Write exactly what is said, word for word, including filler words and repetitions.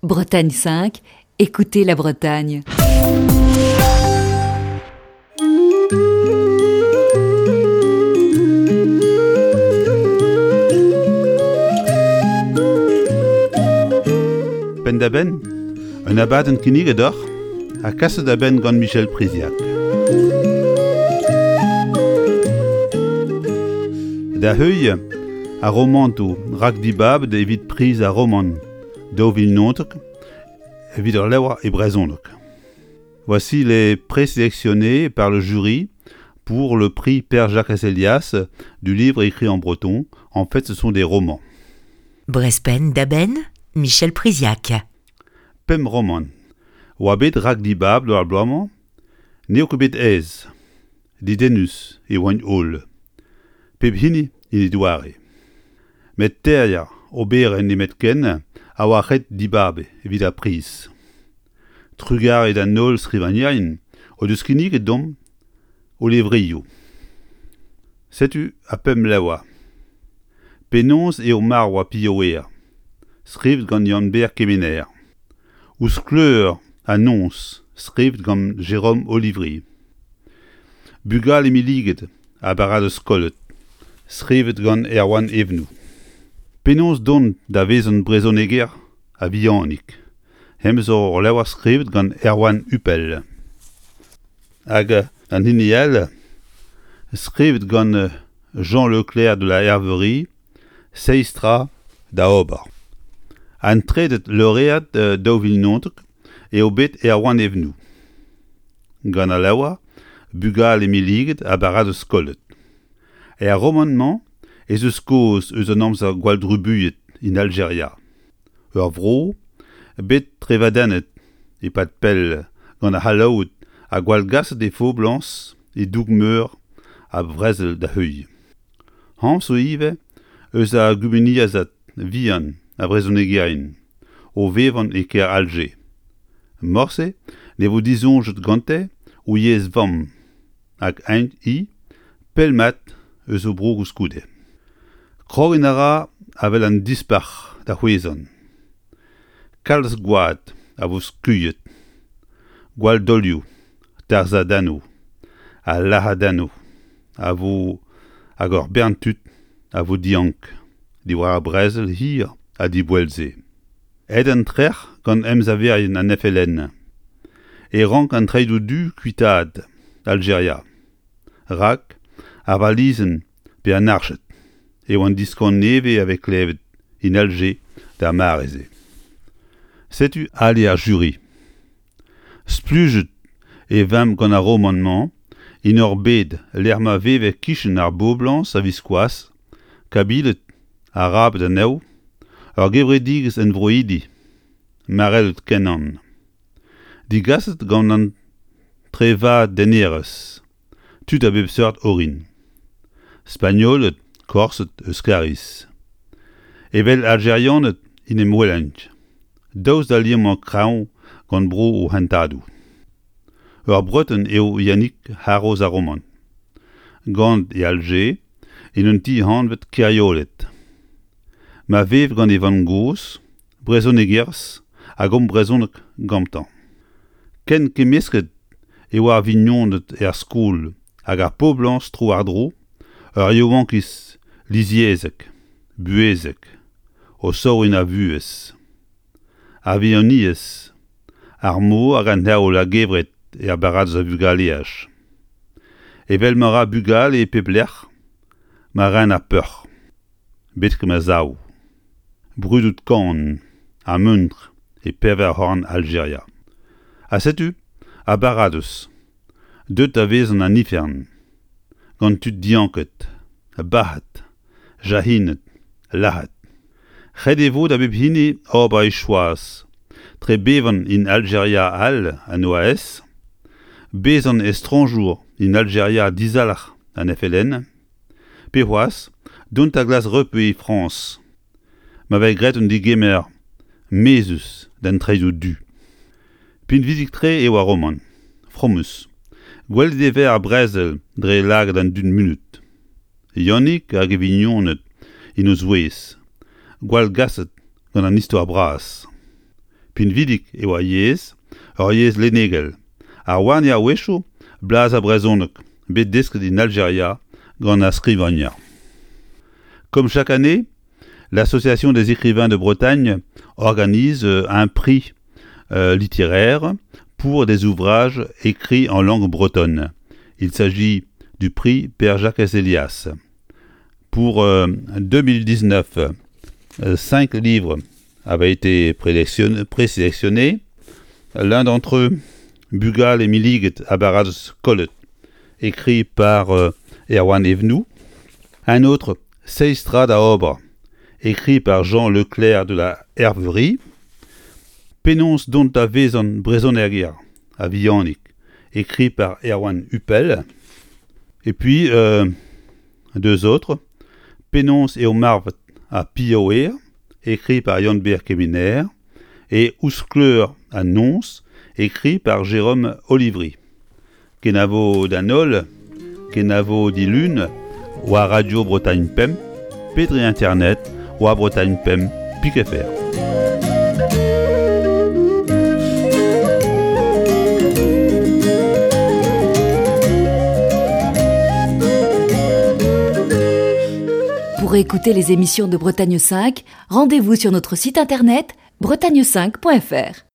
Bretagne cinq, écoutez la Bretagne. Penn-da-benn, un abadenn kinniget deoc'h ha kaset da benn gant Michel Priziac. Da heuilh ar romantoù rakdibabet evit priz ar romant daou vil naontek evit ur levr e brezhoneg. Voici les présélectionnés par le jury pour le prix Père Jacques Elias du livre écrit en breton. En fait, ce sont des romans. Brezh Penn-da-Benn, Michel Priziac. Pemp romant. Oa bet rakdibabet ar bloaz-mañ, n'eo ket bet aes. Dedennus e oant holl. Pep hini en e doare. Met teir oberenn nemetken a oa ret dibab evit ar priz. Trugarez d'an holl skrivagnerien o deus kinniget deomp o levrioù. Setu ar pemp levr. Penaos eo marv ar pilhaouer, skrivet gant Yann-Ber Kemener. Ouzh skleur an noz, skrivet gant Jérôme Olivry. Bugale milliget ha baradoz kollet, skrivet gant Erwan Evenou. Penaos dont da vezañ brezhoneger a-vihanik, hemañ zo ur levr skrivet gant Erwan Hupel. Hag an hini all, skrivet gant Jean Leclerc de la Herverie, seizh tra da ober. An trede lauread daou vil naontek eo bet Erwan Evenou. Gant al levr, bugale milliget ha baradoz kollet. Er romant-mañ ez eus kaoz eus an amzer gwall-drubuilhet en Aljeria. Ur vro bet trevadennet e-pad pell gant ar C'hallaoued ha gwallgaset he foblañs e-doug meur a vrezel da heuilh. Anv zo ivez eus ar gumuniezhad vihan a vrezhonegerien o vevañ e kêr Aljer. Morse ne vo disoñjet gante o yezh vamm hag int-i pell-mat eus o bro koulskoude. Krogiñ a ra avel an dispac'h da c'hwezhañ. Kalz gwad a vo skuilhet, gwalldaolioù, tarzhadennoù ha lazhadennoù a vo hag ur bern tud a vo diank diwar ar brezel hir ha diboell-se. Aet an trec'h gant emsaverien an F L N e rank an treidoù du kuitaat Aljeria. Rak ar valizenn pe an arched eo an diskan nevez a vez klevet en Aljer d'ar mare-se. Setu ali ar juri. Splujet e vemp gant ar romant-mañ en ur bed lec'h ma veve kichen ar boblañs a-viskoazh, Kabiled, Arabed anezho, ur gevredigezh envroidi, marellet kenan. Digaset gant an trevadennerezh, tud a bep seurt orin. Spagnoled, Korsed, Euskariz. Evel Aljerianed en em welent, daoust da liammañ kreñv gant bro o hentadoù. Ur Breton eo Yannick haroz ar romant. Gant e Aljer en un ti anvet Keriolet. Ma vev gant e vamm-gozh, brezhonegerez hag omp brezhoneg gantañ. Ken kemmesket e oa ar vignoned er skol hag ar poblañs tro-war-dro, ur yaouankiz lizyezhek, buhezek, o saouriñ ar vuhez. Ar vignoniezh, ar mor hag an heol a-gevret er baradoz a vugaleaj. Evel ma ra bugale e pep lec'h, ma ren ar peoc'h. Betek ma sav. Brudout kan ha muntr e pevar c'horn Aljeria. Ha setu ar baradoz, deuet da vezañ an ifern, gant tud dianket, bac'het, jahinet, lazhet. Ret e vo da bep hini ober e choaz, tre bevañ en Aljeria all an O A S, bezañ estrañjour en Aljeria dizalc'h an F L N, pe c'hoazh dont da glask repu e Frañs, ma vez graet un degemer mezhus d'an traezoù du. Pinvidik-tre eo ar romant, fromus. Gwelet e vez ar brezel dre lagad an dud munut. Yannick hag e vignoned en o zouez, gwallgaset gant an istor bras. Pinvidik e oa yezh, ur yezh lennegel. Ar warni a-wechoù blaz ar brezhoneg, bet desket en Aljeria gant ar skrivagner. Comme chaque année, l'Association des écrivains de Bretagne organise un prix euh, littéraire pour des ouvrages écrits en langue bretonne. Il s'agit du prix Père Jacques Elias. Pour euh, deux mille dix-neuf, euh, cinq livres avaient été présélectionnés. L'un d'entre eux, Bugal et Milliget à Baradoz Kollet, écrit par euh, Erwan Evenou. Un autre, Seistrad à Obre, écrit par Jean Leclerc de la Herverie. Penons dont a vezan brezonerger à Viannic, écrit par Erwan Hupel. Et puis, euh, deux autres, Penons et Omarvet à Pioer, écrit par Yann-Ber Kemener, et Ouskleur à Nonce, écrit par Jérôme Olivry. Kenavo d'Anol, Kenavo d'Ilune, ou à Radio Bretagne Pemp, Pédri Internet, ou à Bretagne Pemp, Pique F R. Pour écouter les émissions de Bretagne cinq, rendez-vous sur notre site internet bretagne cinq point F R.